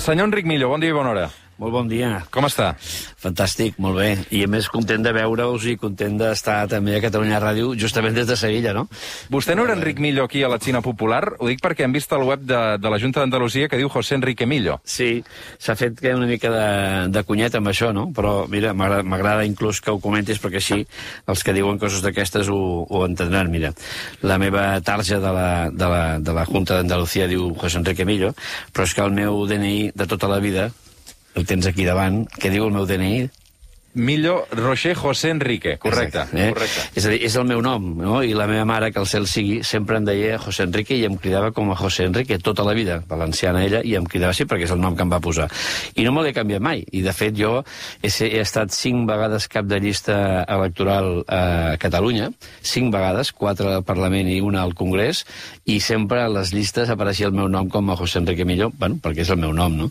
Senyor Enric Millo, bon dia i bona hora. Molt bon dia. Com està? Fantàstic, molt bé. I a més content de veure-us i content d'estar també a Catalunya Ràdio, justament des de Sevilla, no? Vostè no era Enric Millo aquí a la Xina Popular? Ho dic perquè hem vist al web de la Junta d'Andalusia que diu José Enrique Millo. Sí, s'ha fet una mica de cunyet amb això, no? Però, mira, m'agrada inclús que ho comentis perquè així els que diuen coses d'aquestes ho entendran. Mira, la meva tarja de la Junta d'Andalusia diu José Enrique Millo, però és que el meu DNI de tota la vida el tens aquí davant, què diu el meu DNI? Millo Roger José Enrique, correcte. Correcte. És a dir, és el meu nom, no? I la meva mare, que el cel sigui, sempre em deia José Enrique i em cridava com a José Enrique tota la vida, valenciana ella, i em cridava així perquè és el nom que em va posar. I no me l'he canviat mai. I, de fet, jo he estat 5 vegades cap de llista electoral a Catalunya, 5 vegades, 4 al Parlament i 1 al Congrés, i sempre a les llistes apareixia el meu nom com a José Enrique Millo, bueno, perquè és el meu nom, no?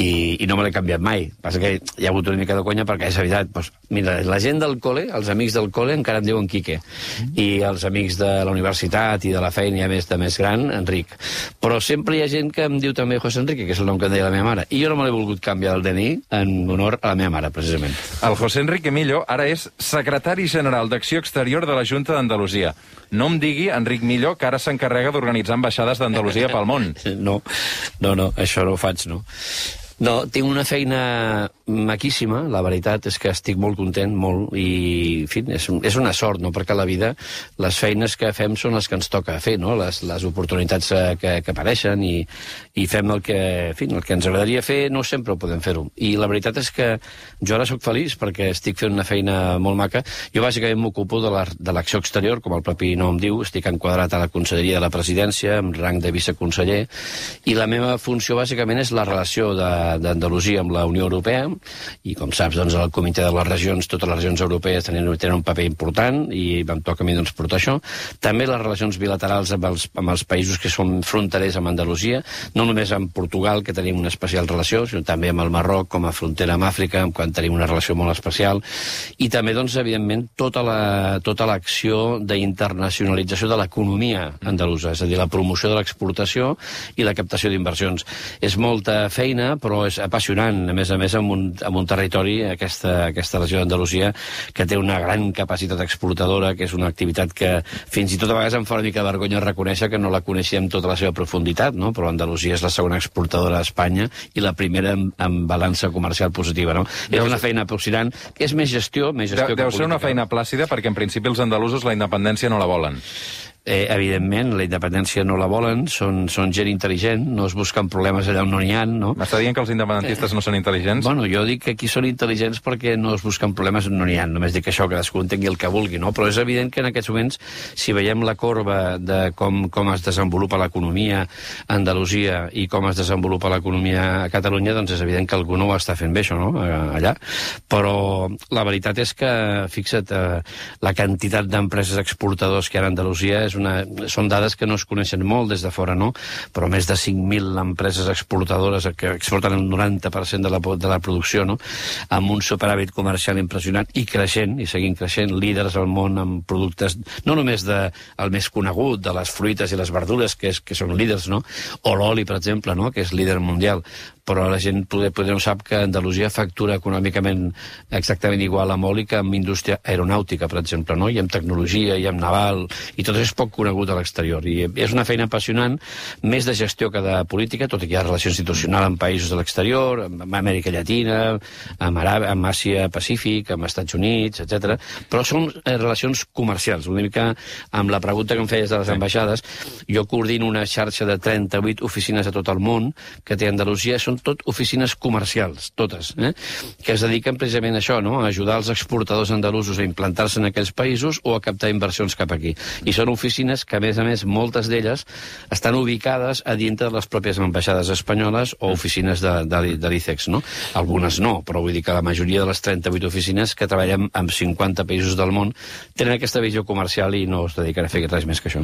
I no me l'he canviat mai. Passa que hi ha hagut una mica de conya perquè és evident. Pues, mira, la gent del col·le, els amics del col·le encara em diuen Quique, i els amics de la universitat i de la feina ja més gran, Enric. Però sempre hi ha gent que em diu també José Enrique, que és el nom que em deia la meva mare, i jo no me l'he volgut canviar el DNI en honor a la meva mare, precisament. El José Enrique Millo ara és secretari general d'Acció Exterior de la Junta d'Andalusia. No em digui, Enric Millo, que ara s'encarrega d'organitzar ambaixades d'Andalusia pel món. No, això no ho faig, no. No, tinc una feina maquíssima, la veritat és que estic molt content, molt, i, en fi, és una sort, no?, perquè a la vida les feines que fem són les que ens toca fer, no?, les oportunitats que apareixen, i fem el que ens agradaria fer, no sempre ho podem fer-ho. I la veritat és que jo ara sóc feliç perquè estic fent una feina molt maca. Jo bàsicament m'ocupo de l'acció exterior, com el propi nom diu, estic enquadrat a la Conselleria de la Presidència, amb rang de viceconseller, i la meva funció bàsicament és la relació d'Andalusia amb la Unió Europea, i com saps, doncs, el Comitè de les Regions, totes les regions europees tenen un paper important, i em toca a mi doncs, portar això. També les relacions bilaterals amb els països que són fronterers amb Andalusia, no només amb Portugal, que tenim una especial relació, sinó també amb el Marroc, com a frontera amb Àfrica, quan tenim una relació molt especial, i també, doncs, evidentment, tota l'acció d'internacionalització de l'economia andalusa, és a dir, la promoció de l'exportació i la captació d'inversions. És molta feina, però és apassionant, a més, amb un territori, aquesta regió d'Andalusia, que té una gran capacitat exportadora, que és una activitat que fins i tot a vegades em fa una mica de vergonya reconèixer que no la coneixem tota la seva profunditat, no? Però Andalusia és la segona exportadora d'Espanya i la primera en balança comercial positiva, no? És una feina apassionant, que és més gestió que política. Deu ser una feina plàcida, perquè en principi els andalusos la independència no la volen. Evidentment, la independència no la volen, són gent intel·ligent, no es busquen problemes allà on no n'hi ha, no? M'està dient que els independentistes no són intel·ligents? Bueno, jo dic que aquí són intel·ligents perquè no es busquen problemes on no n'hi ha, només dic això, que cadascú entengui el que vulgui, no? Però és evident que en aquests moments, si veiem la corba de com es desenvolupa l'economia a Andalusia i com es desenvolupa l'economia a Catalunya, doncs és evident que algú no ho està fent bé, això, no?, allà. Però la veritat és que, fixa't, la quantitat d'empreses exportadors que hi ha a Andalusia són dades que no es coneixen molt des de fora, no? Però més de 5.000 empreses exportadores que exporten el 90% de la producció, no? Amb un superàvit comercial impressionant i creixent, i seguint creixent, líders al món amb productes, no només el més conegut, de les fruites i les verdures, que són líders, no? O l'oli, per exemple, no?, que és líder mundial. Però la gent potser no sap que Andalusia factura econòmicament exactament igual amb oli que amb indústria aeronàutica, per exemple, no? I amb tecnologia, i amb naval, i tot això és poc conegut a l'exterior. I és una feina apassionant, més de gestió que de política, tot i que hi ha relació institucional amb països de l'exterior, amb Amèrica Llatina, amb Àsia Pacífic, amb Estats Units, etc. Però són relacions comercials. Una mica amb la pregunta que em feies de les ambaixades, jo coordino una xarxa de 38 oficines a tot el món que té Andalusia, són tot oficines comercials, totes, que es dediquen precisament a això, no?, a ajudar els exportadors andalusos a implantar-se en aquells països o a captar inversions cap aquí. I són oficines que, a més, moltes d'elles estan ubicades a dintre de les pròpies ambaixades espanyoles o oficines de l'ICEX, no? Algunes no, però vull dir que la majoria de les 38 oficines que treballen en 50 països del món tenen aquesta visió comercial i no es dediquen a fer res més que això.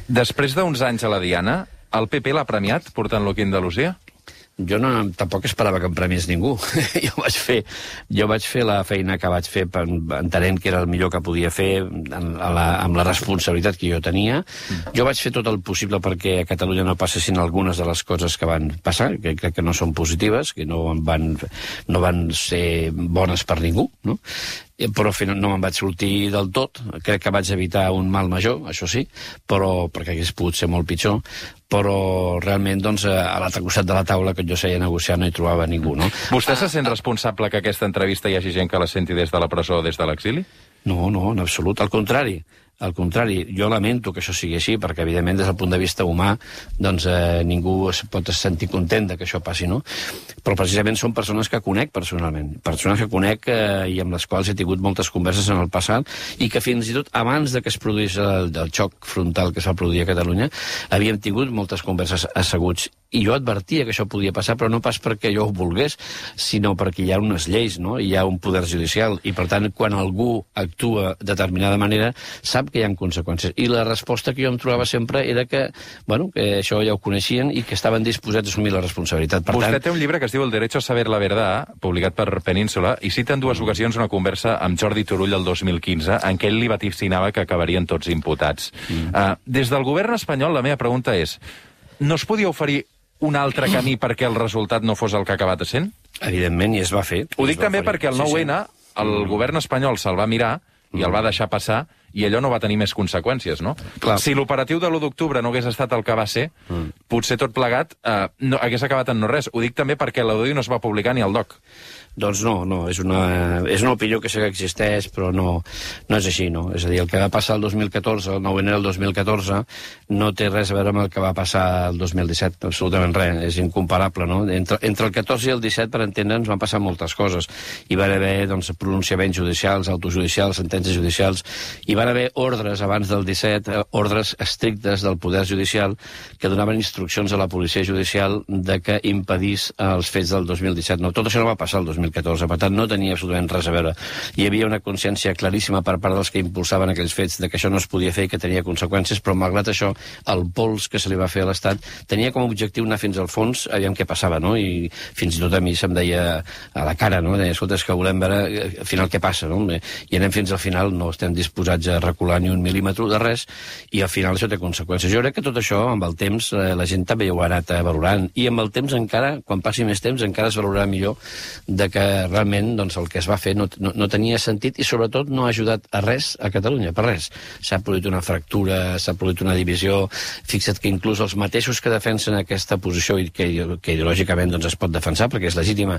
Després d'uns anys a la Diana, el PP l'ha premiat portant-lo aquí a Andalusia? jo tampoc esperava que em premiés ningú. jo vaig fer la feina que vaig fer entenent que era el millor que podia fer amb la responsabilitat que jo tenia. Jo vaig fer tot el possible perquè a Catalunya no passessin algunes de les coses que van passar, que crec que no són positives, que no van ser bones per ningú, no? Però al final no me'n vaig sortir del tot. Crec que vaig evitar un mal major, això sí, però perquè hagués pogut ser molt pitjor, però realment doncs, a l'altre costat de la taula que jo seia a negociar no hi trobava ningú, no? Vostè se sent responsable que aquesta entrevista hi hagi gent que la senti des de la presó o des de l'exili? No, en absolut, al contrari. Al contrari, jo lamento que això sigui així, perquè, evidentment, des del punt de vista humà, doncs ningú es pot sentir content que això passi, no? Però precisament són persones que conec personalment, persones que conec i amb les quals he tingut moltes converses en el passat i que fins i tot abans de que es produís el xoc frontal que es va produir a Catalunya, havíem tingut moltes converses asseguts. I jo advertia que això podia passar, però no pas perquè jo ho volgués, sinó perquè hi ha unes lleis, no? Hi ha un poder judicial, i per tant, quan algú actua de determinada manera, sap que hi ha conseqüències. I la resposta que jo em trobava sempre era que, bueno, que això ja ho coneixien i que estaven disposats a assumir la responsabilitat. Per Vostè té un llibre que es diu El derecho a saber la verdad, publicat per Península, i cita en dues ocasions una conversa amb Jordi Turull el 2015, en què ell li vaticinava que acabarien tots imputats. Des del govern espanyol, la meva pregunta és, no es podia oferir un altre camí perquè el resultat no fos el que ha acabat sent? Evidentment, i es va fer. Ho dic també perquè el 9-N, el govern espanyol se'l va mirar i el va deixar passar, i allò no va tenir més conseqüències, no? Clar. Si l'operatiu de l'1 d'octubre no hagués estat el que va ser, potser tot plegat no, hagués acabat en no res. Ho dic també perquè l'audio no es va publicar ni al DOC. Doncs no, és una opinió que sé que existeix, però no és així, no? És a dir, el que va passar el 2014, el 9-N del 2014, no té res a veure amb el que va passar el 2017, absolutament res, és incomparable, no? Entre el 14 i el 17, per entendre'ns, van passar moltes coses. Hi van haver, doncs, pronunciaments judicials, autojudicials, sentències judicials, hi van haver ordres abans del 17, ordres estrictes del poder judicial que donaven instruccions a la policia judicial de que impedís els fets del 2017. No, tot això no va passar el 2014, per tant no tenia absolutament res a veure. Hi havia una consciència claríssima per part dels que impulsaven aquells fets de que això no es podia fer i que tenia conseqüències, però malgrat això, el pols que se li va fer a l'Estat tenia com a objectiu anar fins al fons, aviam què passava, no? I fins i tot a mi se'm deia a la cara, no? Deia, escolta, és que volem veure al final què passa, no? I anem fins al final, no estem disposats a recular ni un mil·límetre de res, i al final això té conseqüències. Jo crec que tot això, amb el temps, la gent també ho ha anat valorant, i amb el temps encara, quan passi més temps, encara es valorarà millor de que realment doncs, el que es va fer no tenia sentit i sobretot no ha ajudat a res a Catalunya, per res. S'ha produït una fractura, s'ha produït una divisió. Fixa't que inclús els mateixos que defensen aquesta posició i que ideològicament doncs, es pot defensar perquè és legítima,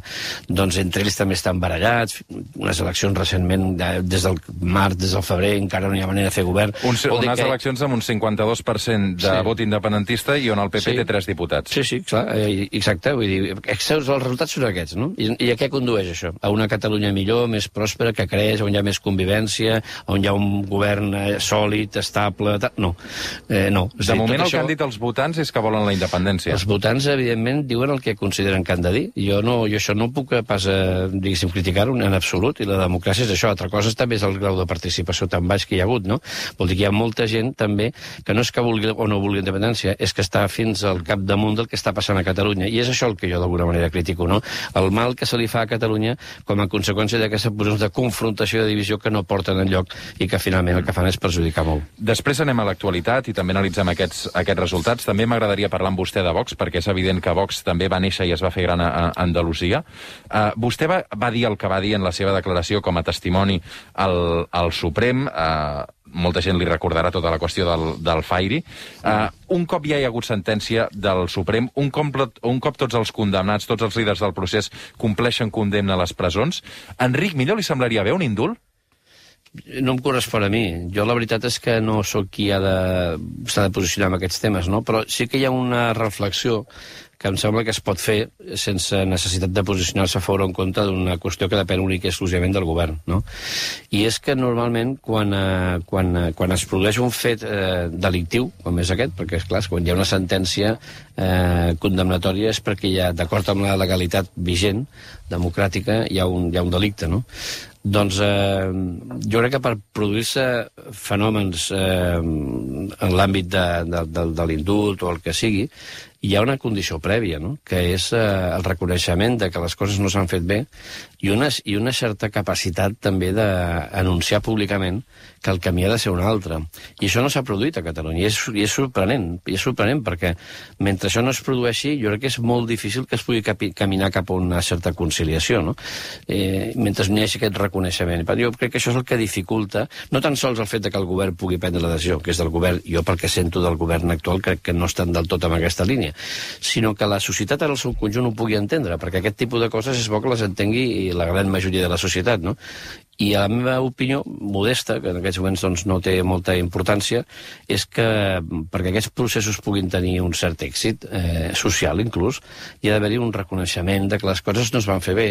doncs entre ells també estan barallats. Unes eleccions recentment, des del març, des del febrer, encara no hi ha manera de fer govern. Unes eleccions amb un 52% de vot independentista i on el PP té 3 diputats. Sí, clar, exacte. Vull dir, els resultats són aquests, no? I a què condueix això? A una Catalunya millor, més pròspera, que creix, on hi ha més convivència, on hi ha un govern sòlid, estable... No. De moment el que han dit els votants és que volen la independència. Els votants, evidentment, diuen el que consideren que han de dir. Jo això no puc pas, diguéssim, criticar-ho en absolut, i la democràcia és això. Altra cosa també és el grau de participació tan baix que hi ha hagut, no? Vol dir que hi ha molta gent, també, que no és que vulgui o no vulgui independència, és que està fins al capdamunt del que està passant a Catalunya. I és això el que jo d'alguna manera critico, no? El mal que se li fa a Catalunya com a conseqüència d'aquestes posicions de confrontació i de divisió que no porten enlloc i que finalment el que fan és perjudicar molt. Després anem a l'actualitat i també analitzem aquests resultats. També m'agradaria parlar amb vostè de Vox, perquè és evident que Vox també va néixer i es va fer gran a Andalusia. Vostè va dir el que va dir en la seva declaració com a testimoni al Suprem. Molta gent li recordarà tota la qüestió del Fairy. Un cop ja hi ha hagut sentència del Suprem, un cop tots els condemnats, tots els líders del procés compleixen condemna a les presons, a Enric Millo li semblaria bé un indult? No em correspon a mi. Jo la veritat és que no sóc qui s'ha de posicionar en aquests temes, no? Però sí que hi ha una reflexió que em sembla que es pot fer sense necessitat de posicionar-se a favor o en contra d'una qüestió que depèn únic i exclusivament del govern, no? I és que normalment quan es produeix un fet delictiu, com és aquest, perquè és clar, quan hi ha una sentència condemnatòria és perquè hi ha, d'acord amb la legalitat vigent, democràtica, hi ha un delicte, no? Doncs jo crec que per produir-se fenòmens en l'àmbit de l'indult o el que sigui, hi ha una condició prèvia, no? Que és el reconeixement de que les coses no s'han fet bé i una certa capacitat també d'anunciar públicament que el camí ha de ser un altre. I això no s'ha produït a Catalunya, i és sorprenent, perquè mentre això no es produeixi, jo crec que és molt difícil que es pugui caminar cap a una certa conciliació, no? Mentre no hi hagi aquest reconeixement. Jo crec que això és el que dificulta, no tan sols el fet que el govern pugui prendre la decisió, que és del govern, jo pel que sento del govern actual crec que no estan del tot en aquesta línia, sinó que la societat en el seu conjunt ho pugui entendre, perquè aquest tipus de coses és bo que les entengui la gran majoria de la societat, no? I a la meva opinió, modesta, que en aquests moments doncs, no té molta importància, és que perquè aquests processos puguin tenir un cert èxit, social inclús, hi ha d'haver-hi un reconeixement de que les coses no es van fer bé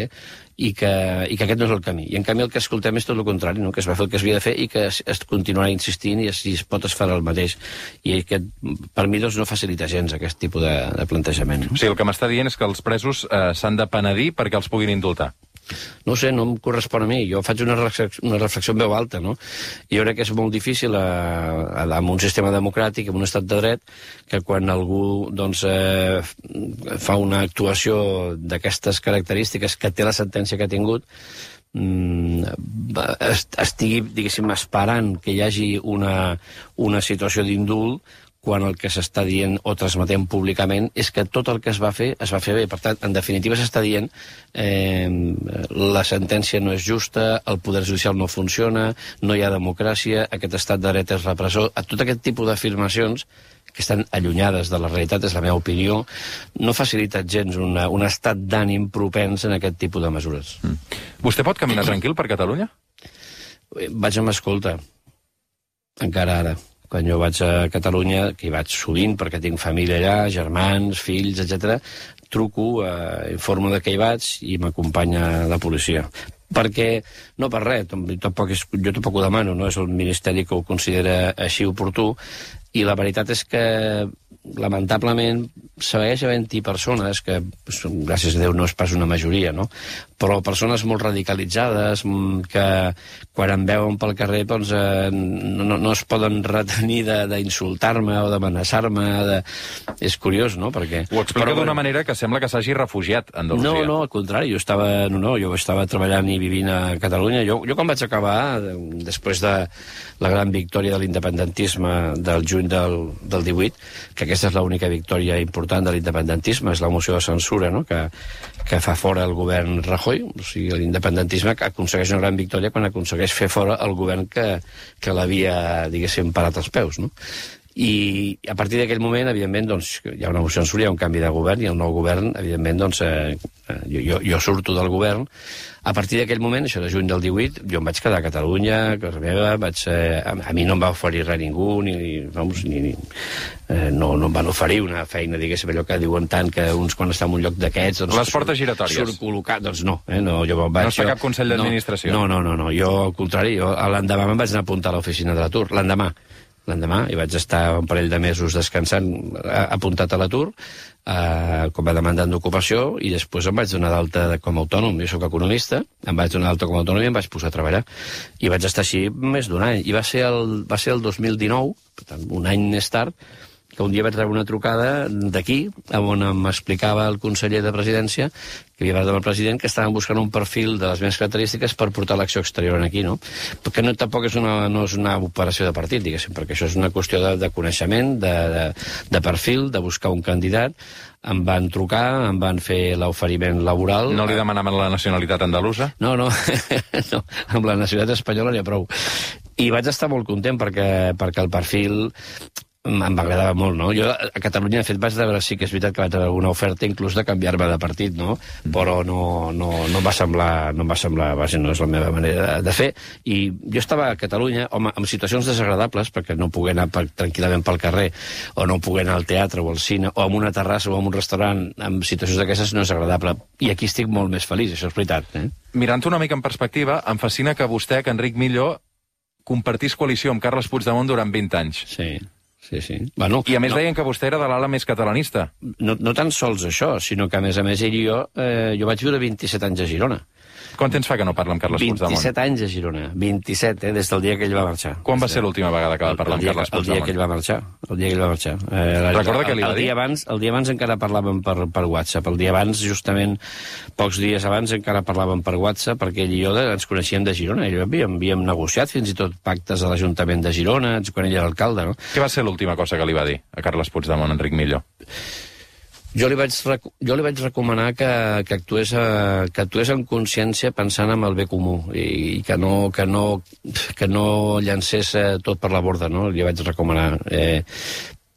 i que aquest no és el camí. I en canvi el que escoltem és tot el contrari, no? Que es va fer el que s'havia de fer i que es continuarà insistint i es pot es farà el mateix. I aquest, per mi, doncs, no facilita gens aquest tipus de plantejament. O sigui, el que m'està dient és que els presos s'han de penedir perquè els puguin indultar. No ho sé, no em correspon a mi. Jo faig una reflexió en veu alta, no? I jo crec que és molt difícil en un sistema democràtic, en un estat de dret, que quan algú doncs, fa una actuació d'aquestes característiques que té la sentència que ha tingut, estigui, diguéssim, esperant que hi hagi una situació d'indult quan el que s'està dient o transmetent públicament és que tot el que es va fer bé. Per tant, en definitiva s'està dient la sentència no és justa, el poder judicial no funciona, no hi ha democràcia, aquest estat de dret és repressor. Tot aquest tipus d'afirmacions que estan allunyades de la realitat, és la meva opinió, no facilita gens un estat d'ànim propens en aquest tipus de mesures. Vostè pot caminar tranquil per Catalunya? Vaig amb escolta, encara ara. Quan jo vaig a Catalunya, que hi vaig sovint perquè tinc família allà, germans, fills, etc., truco, informo de que hi vaig i m'acompanya la policia. Perquè, no per res, jo tampoc ho demano, no és el Ministeri que ho considera així oportú, i la veritat és que, lamentablement, segueix havent-hi persones que, gràcies a Déu, no és pas una majoria, no? Però persones molt radicalitzades que, quan em veuen pel carrer, doncs, no es poden retenir d'insultar-me o d'amenaçar-me. És curiós, no? Perquè... Ho explica d'una manera que sembla que s'hagi refugiat a Andalusia. No, al contrari, jo estava treballant i vivint a Catalunya. Jo quan vaig acabar, després de la gran victòria de l'independentisme del juny del 18, que aquesta és l'única victòria important de l'independentisme, és la moció de censura, no? que fa fora el govern Rajoy. O sigui, l'independentisme aconsegueix una gran victòria quan aconsegueix fer fora el govern que l'havia, diguéssim, parat als peus, no? I a partir d'aquell moment, evidentment, doncs, hi ha una moció de censura, hi ha un canvi de govern, i el nou govern, evidentment, doncs, jo surto del govern. A partir d'aquell moment, això de juny del 18, jo em vaig quedar a Catalunya, a casa meva, a mi no em va oferir res ningú, no em van oferir una feina, diguéssim, allò que diuen tant, que uns quan estan en un lloc d'aquests... Doncs, les portes giratòries. Surt col·locat, doncs no. No es fa cap consell d'administració. No, jo, al contrari, l'endemà me'n vaig anar a apuntar a l'oficina de l'atur, l'endemà, i vaig estar un parell de mesos descansant, apuntat a l'atur, com a demandant d'ocupació, i després em vaig donar d'alta com a autònom. Jo soc economista, em vaig donar d'alta com a autònom i em vaig posar a treballar. I vaig estar així més d'un any. I va ser el 2019, per tant, un any més tard, que un dia vaig rebre una trucada d'aquí, on m'explicava el conseller de Presidència, que havia parlat amb el president, que estaven buscant un perfil de les meves característiques per portar l'acció exterior aquí, no? Perquè tampoc no és una operació de partit, diguéssim, perquè això és una qüestió de coneixement, de perfil, de buscar un candidat. Em van trucar, em van fer l'oferiment laboral. No li demanaven la nacionalitat andalusa? No, amb la nacionalitat espanyola n'hi ha prou. I vaig estar molt content perquè el perfil em agradava molt, no? Jo a Catalunya, de fet, vaig rebre, sí que és veritat que vaig rebre alguna oferta inclús de canviar-me de partit, no? Però no em va semblar, vaja, no és la meva manera de fer. I jo estava a Catalunya, home, en situacions desagradables, perquè no pogué anar tranquil·lament pel carrer, o no pogué anar al teatre o al cine, o a una terrassa o a un restaurant, en situacions d'aquestes no és agradable. I aquí estic molt més feliç, això és veritat. Mirant una mica en perspectiva, em fascina que vostè, que Enric Millo, compartís coalició amb Carles Puigdemont durant 20 anys. Sí. Bueno, i a més deien que vostè era de l'ala més catalanista. No tan sols això, sinó que a més ell i jo vaig viure 27 anys a Girona. Quant temps fa que no parla amb Carles Puigdemont? 27 anys a Girona, 27, des del dia que ell va marxar. Quan va ser l'última vegada que va parlar amb Carles Puigdemont? El dia que ell va marxar. Recorda què li va dir? El dia abans encara parlàvem per WhatsApp. El dia abans, justament, pocs dies abans, encara parlàvem per WhatsApp, perquè ell i jo ens coneixíem de Girona. Havíem negociat fins i tot pactes a l'Ajuntament de Girona, quan ell era alcalde, no? Què va ser l'última cosa que li va dir a Carles Puigdemont, Enric Millo? Jo li vaig recomanar que actués en consciència pensant en el bé comú i que no llancés tot per la borda, no? Li vaig recomanar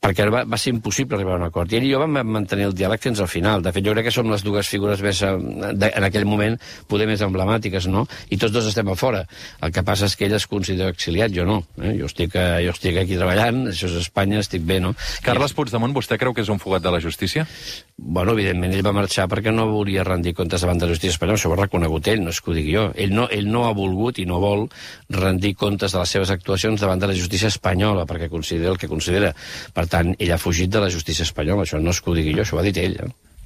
perquè va ser impossible arribar a un acord. I ell i jo vam mantenir el diàleg fins al final. De fet, jo crec que som les dues figures més, en aquell moment, poder més emblemàtiques, no? I tots dos estem a fora. El que passa és que ell es considera exiliat, jo no. Jo estic aquí treballant, això és Espanya, estic bé, no? Carles Puigdemont, vostè creu que és un fugat de la justícia? Bueno, evidentment, ell va marxar perquè no volia rendir comptes davant de la justícia espanyola. Això ho ha reconegut ell, no és que ho digui jo. Ell no ha volgut i no vol rendir comptes de les seves actuacions davant de la justícia espanyola, perquè considera el que considera. Per tant, ell ha fugit de la justícia espanyola. Això no és que ho digui jo, això ho ha dit ell.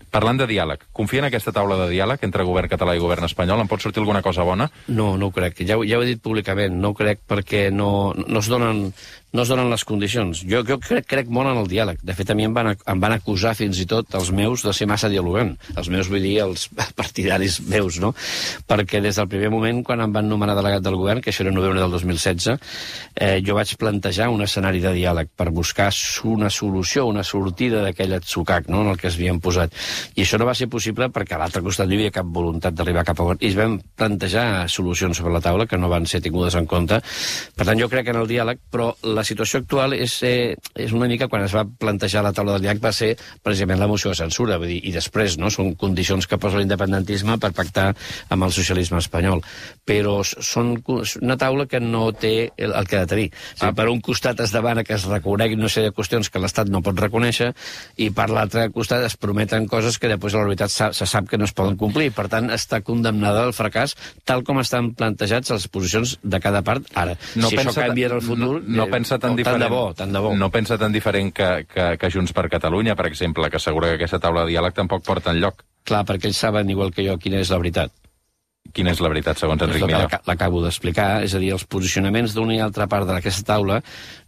Parlant de diàleg, confia en aquesta taula de diàleg entre govern català i govern espanyol? En pot sortir alguna cosa bona? No ho crec. Ja ho he dit públicament. No ho crec perquè no es donen les condicions. Jo crec molt en el diàleg. De fet, a mi em van acusar fins i tot els meus de ser massa dialogant. Els meus vull dir els partidaris meus, no? Perquè des del primer moment, quan em van nomenar delegat del govern, que això era novembre del 2016, jo vaig plantejar un escenari de diàleg per buscar una solució, una sortida d'aquell atzucac, no?, en el que es havien posat. I això no va ser possible perquè a l'altre costat no hi havia cap voluntat d'arribar cap a on. I es vam plantejar solucions sobre la taula que no van ser tingudes en compte. Per tant, jo crec en el diàleg, però la situació actual és una mica, quan es va plantejar la taula del diàleg, va ser precisament la moció de censura, vull dir, i després, no?, són condicions que posa l'independentisme per pactar amb el socialisme espanyol. Però són una taula que no té el que ha de tenir. O sigui, per un costat es demana que es reconeguin una sèrie de qüestions que l'Estat no pot reconèixer i per l'altre costat es prometen coses que després a la veritat se sap que no es poden complir. Per tant, està condemnada al fracàs tal com estan plantejats les posicions de cada part ara. No si això canvia en el futur... No pensa tan diferent. Tant de bo. No pensa tan diferent que Junts per Catalunya, per exemple, que assegura que aquesta taula de diàleg tampoc porta enlloc. Clar, perquè ells saben, igual que jo, quina és la veritat. Quina és la veritat, segons Enric Millo? L'acabo d'explicar, és a dir, els posicionaments d'una i altra part d'aquesta taula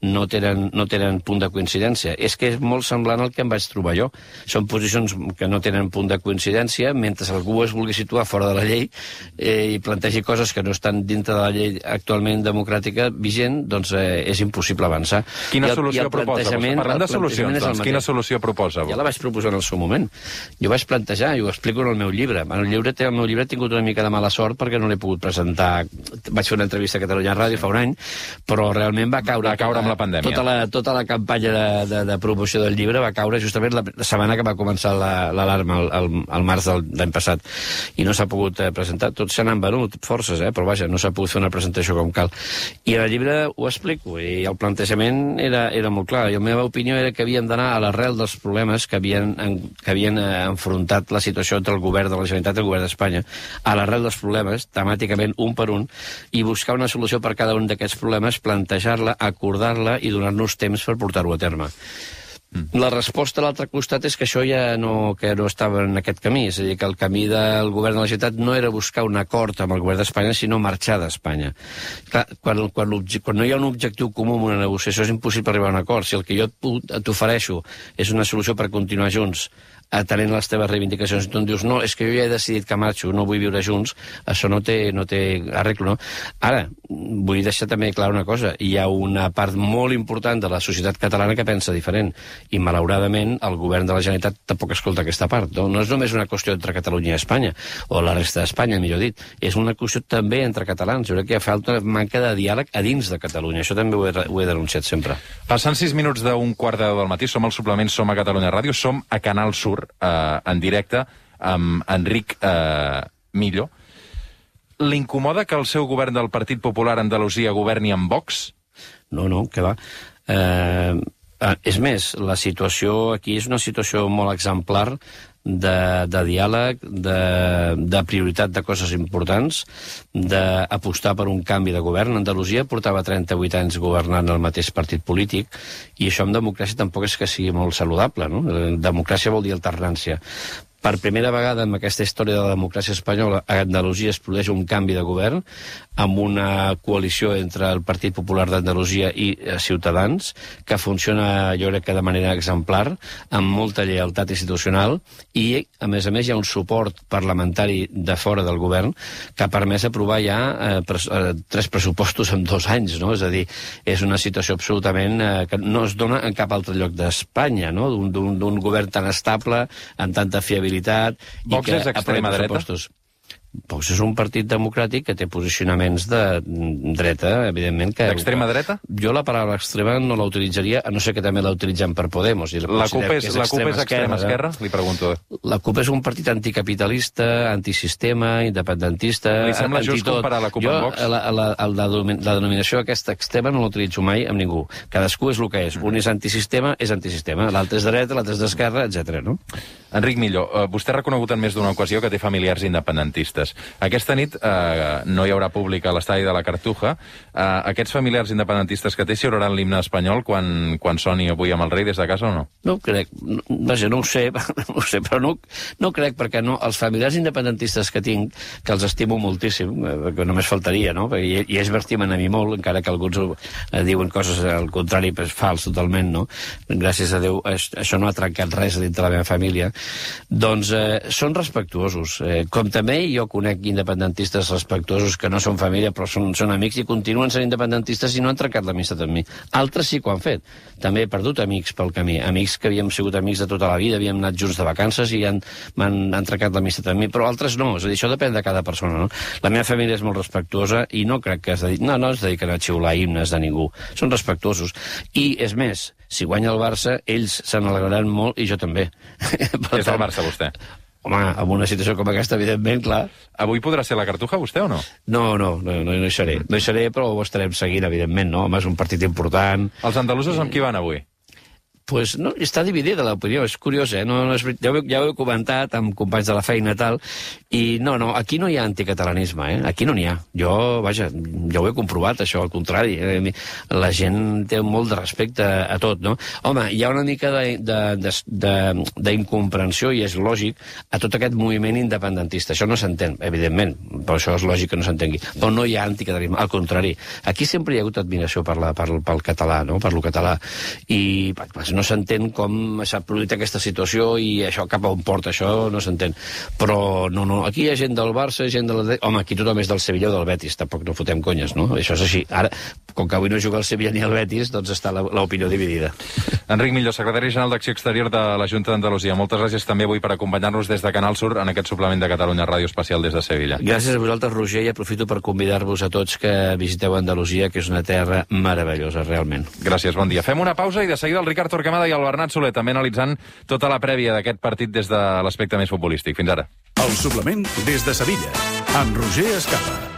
no tenen punt de coincidència. És que és molt semblant al que em vaig trobar jo. Són posicions que no tenen punt de coincidència, mentre algú es vulgui situar fora de la llei i plantegi coses que no estan dintre de la llei actualment democràtica vigent, doncs és impossible avançar. Quina solució proposa? Parlant de solucions, doncs, quina solució proposa? Ja la vaig proposar en el seu moment. Jo vaig plantejar, i ho explico en el meu llibre. El meu llibre ha tingut una mica de mala sort perquè no l'he pogut presentar. Vaig fer una entrevista a Catalunya Ràdio fa un any, però realment va caure amb la pandèmia. Tota la campanya de promoció del llibre va caure justament la setmana que va començar l'alarma, al març de l'any passat. I no s'ha pogut presentar. Tots se n'han venut, forces, però vaja, no s'ha pogut fer una presentació com cal. I en el llibre ho explico, i el plantejament era molt clar. I la meva opinió era que havíem d'anar a l'arrel dels problemes que havien enfrontat la situació entre el govern de la Generalitat i el govern d'Espanya. A l'arrel dels problemes, temàticament, un per un, i buscar una solució per cada un d'aquests problemes, plantejar-la, acordar-la i donar-nos temps per portar-ho a terme. La resposta a l'altre costat és que això ja no estava en aquest camí, és a dir, que el camí del govern de la Generalitat no era buscar un acord amb el govern d'Espanya, sinó marxar d'Espanya. Clar, quan no hi ha un objectiu comú en una negociació és impossible arribar a un acord. Si el que jo t'ofereixo és una solució per continuar junts, atenent les teves reivindicacions, i tu em dius, no, és que jo ja he decidit que marxo, no vull viure junts, això no té arreglo, no? Ara, vull deixar també clar una cosa, hi ha una part molt important de la societat catalana que pensa diferent, i malauradament el govern de la Generalitat tampoc escolta aquesta part, no? No és només una qüestió entre Catalunya i Espanya, o la resta d'Espanya, millor dit, és una qüestió també entre catalans. Jo crec que hi ha falta manca de diàleg a dins de Catalunya, això també ho he denunciat sempre. Passant 6 minuts d'un quart de 10 del matí, som al suplement, som a Catalunya Ràdio, som a Canal Sur, en directe amb Enric Millo. L'incomoda que el seu govern del Partit Popular a Andalusia governi amb Vox? No, que va. És més, la situació aquí és una situació molt exemplar de diàleg, de prioritat de coses importants, d'apostar per un canvi de govern. Andalusia portava 38 anys governant el mateix partit polític, i això en democràcia tampoc és que sigui molt saludable, no? Democràcia vol dir alternància. Per primera vegada en aquesta història de la democràcia espanyola, a Andalusia es produeix un canvi de govern amb una coalició entre el Partit Popular d'Andalusia i Ciutadans, que funciona, jo crec que de manera exemplar, amb molta lleialtat institucional, i, a més, hi ha un suport parlamentari de fora del govern que ha permès aprovar ja 3 pressupostos en 2 anys, no? És a dir, és una situació absolutament que no es dona en cap altre lloc d'Espanya, no? D'un govern tan estable, amb tanta fiabilitat. Vox és extrema dreta? Vox és un partit democràtic que té posicionaments de dreta, evidentment. D'extrema dreta? Jo la paraula extrema no la utilitzaria, a no ser que també la utilitzem per Podemos. La CUP és extrema esquerra? Li pregunto. La CUP és un partit anticapitalista, antisistema, independentista... Li sembla just comparar la CUP amb Vox? La denominació aquesta extrema no l'utilitzo mai amb ningú. Cadascú és el que és. Un és antisistema, l'altre és de dreta, l'altre és d'esquerra, etc. No? Enric Millo, vostè ha reconegut en més d'una ocasió que té familiars independentistes. Aquesta nit no hi haurà públic a l'estadi de la Cartuja. Aquests familiars independentistes que té s'hi oraran l'himne espanyol quan soni avui amb el rei des de casa o no? No ho crec. Vaja, no ho sé, però no crec, perquè no, els familiars independentistes que tinc, que els estimo moltíssim, perquè només faltaria, no? I ells m'estimen a mi molt, encara que alguns diuen coses al contrari, però és fals totalment, no? Gràcies a Déu, això no ha trencat res dintre la meva família. Doncs són respectuosos. Com també jo conec independentistes respectuosos que no són família però són amics i continuen sent independentistes i no han trencat l'amistat amb mi. Altres sí que ho han fet. També he perdut amics pel camí, amics que havíem sigut amics de tota la vida, havíem anat junts de vacances i han trencat l'amistat amb mi, però altres no. És a dir, això depèn de cada persona, no? La meva família és molt respectuosa i no crec que no es dediquen a xiular himnes de ningú. Són respectuosos. I, és més, si guanya el Barça, ells se n'alegraran molt i jo també. És el Barça, vostè? Home, en una situació com aquesta, evidentment, clar. Avui podrà ser la Cartuja, vostè, o no? No hi seré. No hi seré, però ho estarem seguint, evidentment, no? Home, és un partit important. Els andalusos amb qui van avui? Pues no, està dividida l'opinió, és curiós, eh? Ja ho he comentat amb companys de la feina i tal, i no, aquí no hi ha anticatalanisme, aquí no n'hi ha. Jo ho he comprovat, això, al contrari. La gent té molt de respecte a tot, no? Home, hi ha una mica d'incomprensió, i és lògic, a tot aquest moviment independentista. Això no s'entén, evidentment, però això és lògic que no s'entengui. Però no hi ha anticatalanisme, al contrari. Aquí sempre hi ha hagut admiració pel català, no? Per lo català. I no s'entén com s'ha produït aquesta situació i això cap a on porta, això no s'entén. Però no, aquí hi ha gent del Barça, gent de la... Home, aquí tothom és del Sevilla o del Betis, tampoc no fotem conyes, no? Això és així. Ara, com que avui no juga el Sevilla ni el Betis, doncs està l'opinió dividida. Enric Millo, secretari general d'Acció Exterior de la Junta d'Andalusia. Moltes gràcies també avui per acompanyar-nos des de Canal Sur en aquest suplement de Catalunya Ràdio Especial des de Sevilla. Gràcies a vosaltres, Roger, i aprofito per convidar-vos a tots que visiteu Andalusia, que és una terra meravellosa, realment. Gràcies, bon dia. Fem una pausa i de seguida el Ricard Torquemada i el Bernat Soler també analitzant tota la prèvia d'aquest partit des de l'aspecte més futbolístic. Fins ara. El suplement des de Sevilla, amb Roger Escapa.